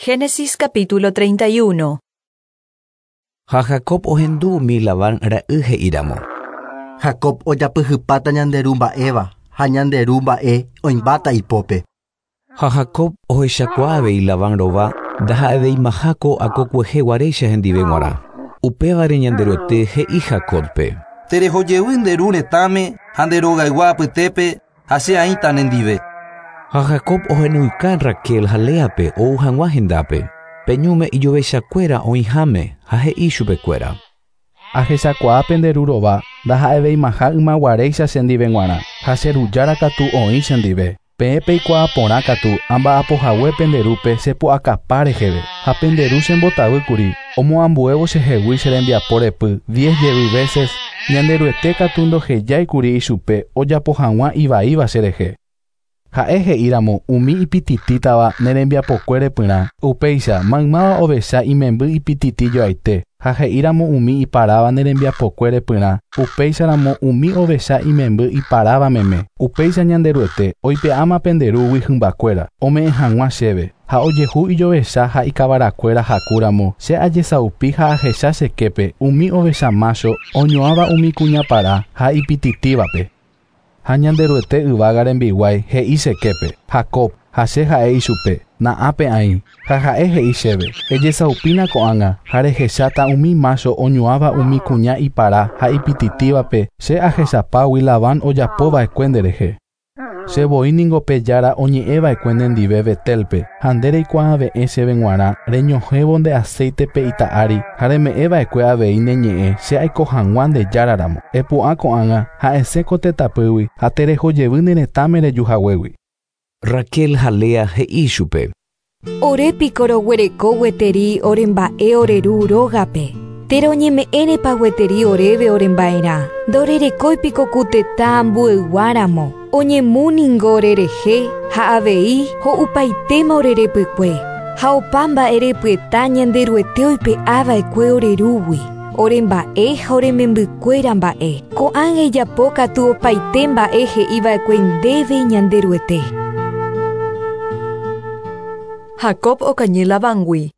Génesis capítulo 31. Ha Jacob ohendu umi Labán ra'y he'íramo. Jacob ojapyhypáta ñande ru mba'éva ha ñande ru mba'e oĩmbáta ipópe. Ha Jacob ohechakuaa avei Labán rova ndaha'eveimaha ko akokuehe guaréicha hendive g̃uarã. Upévare Ñanderuete he'i Jacobpe. Terehojevy nde ru retãme ha nde rogaygua apytépe ha che aĩta nendive. Ha Jacob ohenóika Raquel ha Léape ou hag̃ua hendápe. Pe ñúme ijovechakuéra oĩháme ha he'i chupekuéra. Ahechakuaa pende ru rova ndaha'eveimaha ymaguaréicha chendive g̃uarã ha che rujára katu oĩ chendive. Peẽ peikuaa porã katu amba'apohague pende rúpe chepu'akapa reheve ha pende ru chembotavýkuri omoambuévo chehegui che rembiapo repy diez jevy veces Ñanderuete katu ndohejáikuri ichupe ojapo hag̃ua ivaíva cherehe. Ha'e he'íramo umi ipititítava ne rembiapokue repyrã, upéicha maymáva ovecha imemby ipititijoaite ha he'íramo umi iparáva ne rembiapokue repyrã, upéicharamo umi ovecha imemby iparáva meme. Upéicha Ñanderuete oipe'áma pende rúgui hymbakuéra, ome'ẽ hag̃ua chéve, ha ojehu ijovecha ha ikavarakuéra hakúramo che ajesaupi ha ahecha cheképe umi ovecha mácho oñoãva umi kuñapara ha ipititívape. Ha Ñanderuete yvága rembiguái he'i cheképe, Jacob, ha che ha'e ichupe, na'ápe aĩ, ha ha'e he'i chéve, ejesaupína ko'ág̃a ha rehecháta umi mácho oñoãva umi kuña ipara ha ipititívape che ahechapágui Labán ojapova'ekue nderehe. Che voi ningo pe jára oñe'ẽva'ekue nendive Betelpe ha nde reikuaave'ẽ chéve g̃uarã reñohẽvo nde aceite-pe ita ári ha reme'ẽva'ekue avei ne ñe'ẽ che aiko hag̃ua nde járaramo. Epu'ã ko'ág̃a ha esẽ ko tetãpýgui ha terehojevy ne retãme rejuhaguégui. Raquel ha Lea he'i chupe. Ore piko roguereko gueteri oremba'e ore ru rógape. Térã oñeme'ẽrepa gueteri oréve oremba'erã. Ndorerekói piko ku tetã ambueyguáramo. Oñemu ningo orerehe ha avei ho'upaitéma orerepykue. Ha opa mba'erepyeta Ñanderuete oipe'ava'ekue ore rúgui. Oremba'e ha oremembykuéra mba'e. Ko'ág̃a ijapo katu opaite mba'e he'iva'ekue ndéve Ñanderuete. Jacob okañy Labángui.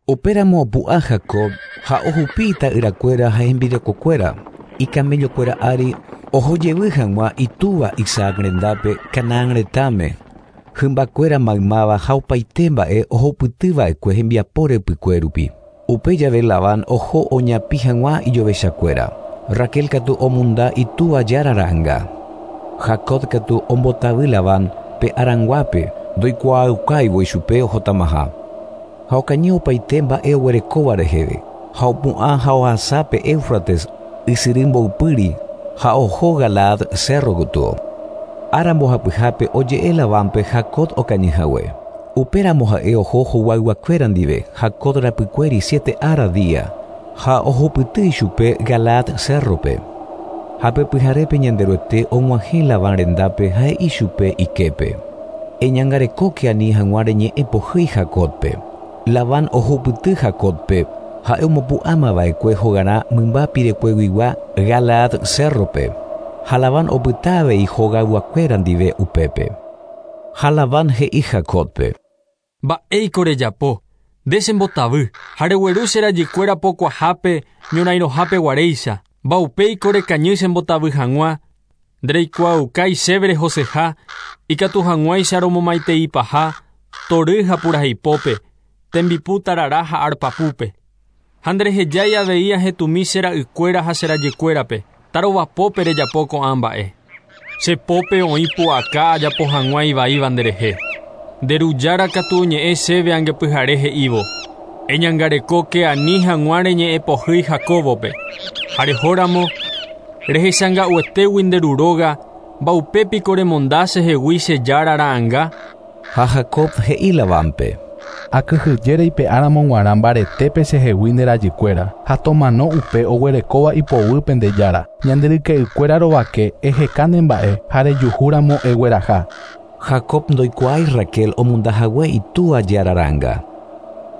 Upéramo opu'ã Jacob ha ohupi ita'yrakuéra ha hembirekokuéra ikamellokuéra ári ohojevy hag̃ua itúva Isaac rendápe Canaán retãme. Hymbakuéra maymáva ha opaite mba'e ohupytyva'ekue hembiapo repykue rupi. Upe jave Labán oho oñapi hag̃ua ijovechakuéra. Raquel katu omunda itúva jára ra'ãnga. Jacob katu ombotavy Labán pe aranguápe ndoikuaaukáivo ichupe ohotamaha. Ha okañy opaite mba'e oguerekóva reheve. Ha opu'ã ha ohasa pe Éufrates ysyry mboypýri ha oho Galaad cerro gotyo. Ára mbohapyhápe oje'e Labánpe Jacob okañyhague. Upéramo ha'e oho hoguayguakuéra ndive Jacob rapykuéri siete ára día ha ohupyty ichupe Galaad cerrope. Ha pe pyharépe Ñanderuete og̃uahẽ Labán rendápe ha he'i chupe iképe. Eñangarekóke ani hag̃ua reñe'ẽ pohýi Jacobpe. Labán ohupyty Jacobpe ha'e omopu'ãmava'ekue hogarã mymba pirekueguigua Galaad cerrope. Ha Labán opyta avei hogayguakuéra ndive upépe. Ha Labán he'i Jacobpe. Mba'éiko rejapo, nde chembotavy ha regueru che rajykuéra pokuahápe ñorairõhápe guaréicha. Mba'upéiko rekañy chembotavy hag̃ua, ndereikuaaukái chéve rehoseha, ikatu hag̃uáicha romomaiteipaha, tory ha puraheipópe, tembipu tarara ha arpapúpe. Ha nderehejái avei ahetumi che ra'ykuéra ha che rajykuérape, tarovapópe rejapo ko'ã mba'e. Che pópe oĩ pu'aka ajapo hag̃ua ivaíva nderehe. Nde rujára katu oñe'ẽ chéve angepyhare he'ívo. Eñangarekóke ani hag̃ua reñe'ẽ pohýi Jacóbope. Ha rehóramo, rehechanga'uetégui nde ru róga, mba'upépiko remonda chehegui che jára ra'ãnga. Ha Jacob he'i Labánpe. Akyhyje reipe'áramo g̃uarã mbaretépe chehegui nde rajykuéra ha tomano upe oguerekóva ipoguýpe nde jára. Ñande ryke'ykuéra rovake eheka ne mba'e ha rejuhúramo egueraha. Jacob ndoikuaái Raquel omondahague itúva jára ra'ãnga.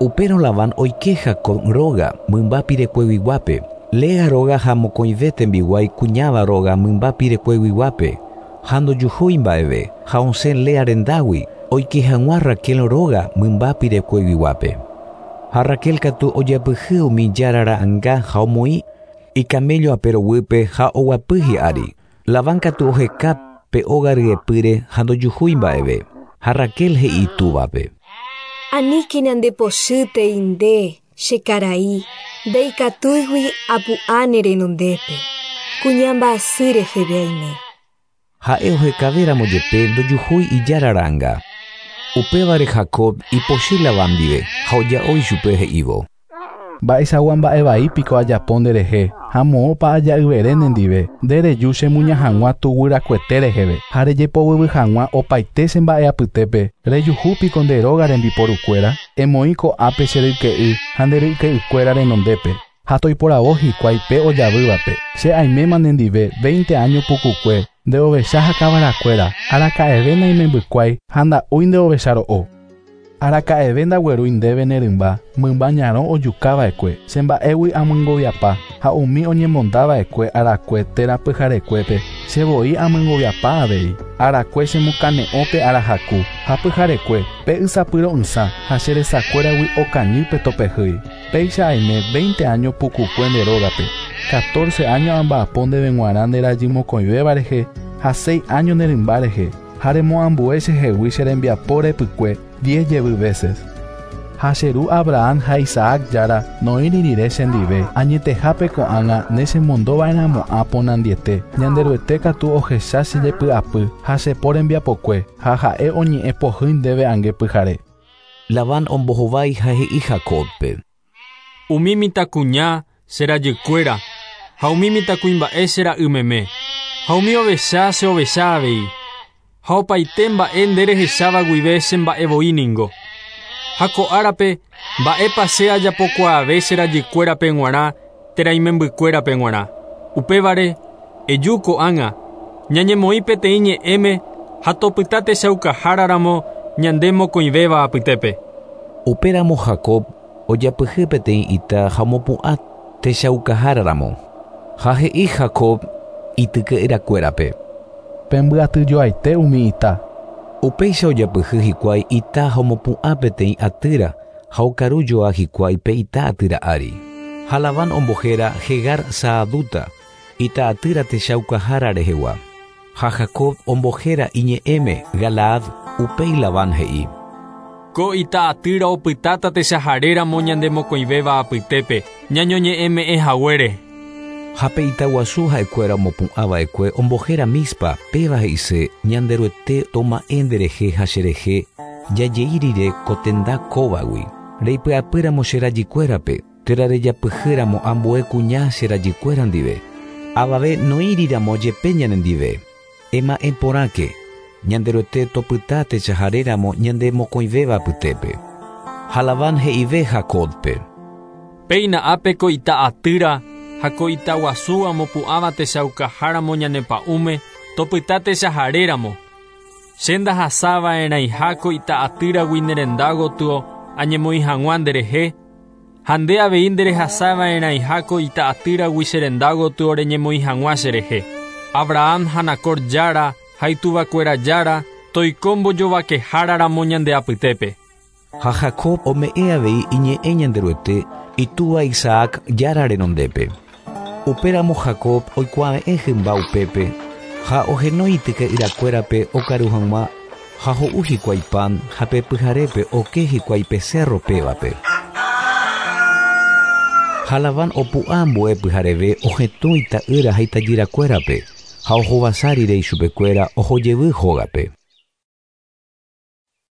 Upérõ Labán oike Jacob róga mymba pirekueguiguápe. Lea róga ha mokõive tembiguái kuñáva róga mymba pirekueguiguápe. Ha ndojuhúi mba'eve ha osẽ Lea rendágui. oike hag̃ua Raquel róga mymba pirekueguiguápe. Ha Raquel katu ojapyhy umi jára ra'ãnga ha omoĩ ikaméllo aperoguýpe ha oguapy hi'ári. Labán katu oheka pe óga ryepýre ha ndojuhúi mba'eve. Ha Raquel he'i itúvape. Aníkena ndepochýtei nde, che karai, ndaikatúigui apu'ã ne renondépe. Kuña mba'asy reheve aime. Ha'e ohekavéramo jepe ndojuhúi ijára ra'ãnga. Upévare Jacob ipochy Labán ndive ha oja'o ichupe he'ívo. Mba'eichagua mba'e vai piko ajapo nderehe ha moõpa aja'yvere nendive, nde reju chemuña hag̃ua tuguyrakuete reheve ha rejepovyvy hag̃ua opaite che mba'e apytépe, rejuhu piko nde róga rembiporukuéra, emoĩ ko'ápe che ryke'y ha nde ryke'ykuéra renondépe, ha toiporavo hikuái pe ojavývape. Che aiméma nendive 20 año pukukue, nde ovecha ha kavarakuéra, araka'eve naimembykuái ha nda'úi nde ovecha ro'o. Araka'eve ndaguerúi ndéve ne rymba, mymba ñarõ ojukava'ekue, che mba'égui amyengoviapa, ha umi oñemondava'ekue arakue térã pyharekuépe, che voi amyengoviapa avei. Arakue chemokane'õ pe arahaku, ha pyharekue, pe ysapyro'ysã ha che resakuéragui okañy pe topehýi. Péicha aime 20 año pukukue nde rógape, 14 año amba'apo ndéve g̃uarã nde rajy mokõivéva rehe ha 6 año ne rymba rehe, ha remoambue chehegui che rembiapo repykue 10 jevy veces. Ha che ru Abraham ha Isaac jára noĩri rire chendive, añetehápe ko'ág̃a ne chemondova'erãmo'ã ponandiete, Ñanderuete katu ohecha che jepy'apy ha che po rembiapokue, ha ha'e oñe'ẽ pohýi ndéve ange pyhare. Labán ombohovái ha he'i Jacóbpe. Umi mitãkuña che rajykuéra ha umi mitãkuimba'e che ra'y meme, ha umi ovecha che ovecha avei, ha opaite mba'e nde rehecháva guive che mba'e voi ningo. Ha ko árape mba'épa che ajapokuaave che rajykuérape g̃uarã térã imembykuérape g̃uarã. Upévare, eju ko'ág̃a, ñañemoĩ peteĩ ñe'ẽme ha topyta techaukaháraramo ñande mokõivéva apytépe. Upéramo Jacob ojapyhy peteĩ ita ha omopu'ã techaukaháraramo. Ha he'i Jacob ityke'yrakuérape. Pembyatyjoaite umi ita. Upéicha ojapyhy hikuái ita ha omopu'ã peteĩ atýra ha okarujoa hikuái pe ita atýra ári. Ha Labán ombohéra Jegar Saaduta, ita atýra techaukahára rehegua. Ha Jacob ombohéra iñe'ẽme Galaad, upéi Labán he'i. Ko ita atýra opytáta techaharéramo ñande mokõivéva apytépe, ñañoñe'ẽme'ẽ haguére. Ha pe itaguasu ha'ekuéra omopu'ãva'ekue ombohéra Mispa, péva he'ise Ñanderuete toma'ẽ nderehe ha cherehe jajei rire ko tenda kóvagui. Reipy'apýramo che rajykuérape, térã rejapyhýramo ambue kuña che rajykuéra ndive. Avave noĩriramo jepe ñanendive. Ema'ẽ porãke, Ñanderuete topyta techaharéramo ñande mokõivéva apytépe. Ha Labán he'ive Jacóbpe. Péina ápe ko ita atýra ha ko itaguasu amopu'ãva techaukaháramo ñane pa'ũme, topyta techaharéramo. Che ndahasava'erãiha ko ita atýragui ne renda gotyo añemoĩ hag̃ua nderehe, ha nde avei nderehasava'erãiha ko ita atýragui che renda gotyo reñemoĩ hag̃ua cherehe. Abraham ha Nacor jára ha ituvakuéra jára toiko mbojovakeháraramo ñande apytépe. Ha Jacob ome'ẽ avei iñe'ẽ Ñanderuete itúva Isaac jára renondépe. Upéramo Jacob oikuave'ẽ hymba upépe ha ohenói ityke'yrakuérape okaru hag̃ua ha ho'u hikuái pan ha pe pyharépe oke hikuái pe cerro pévape. Ha Labán opu'ã ambue pyhareve ohetũ ita'ýra ha itajyrakuérape ha ohovasa rire ichupekuéra ohojevy hógape.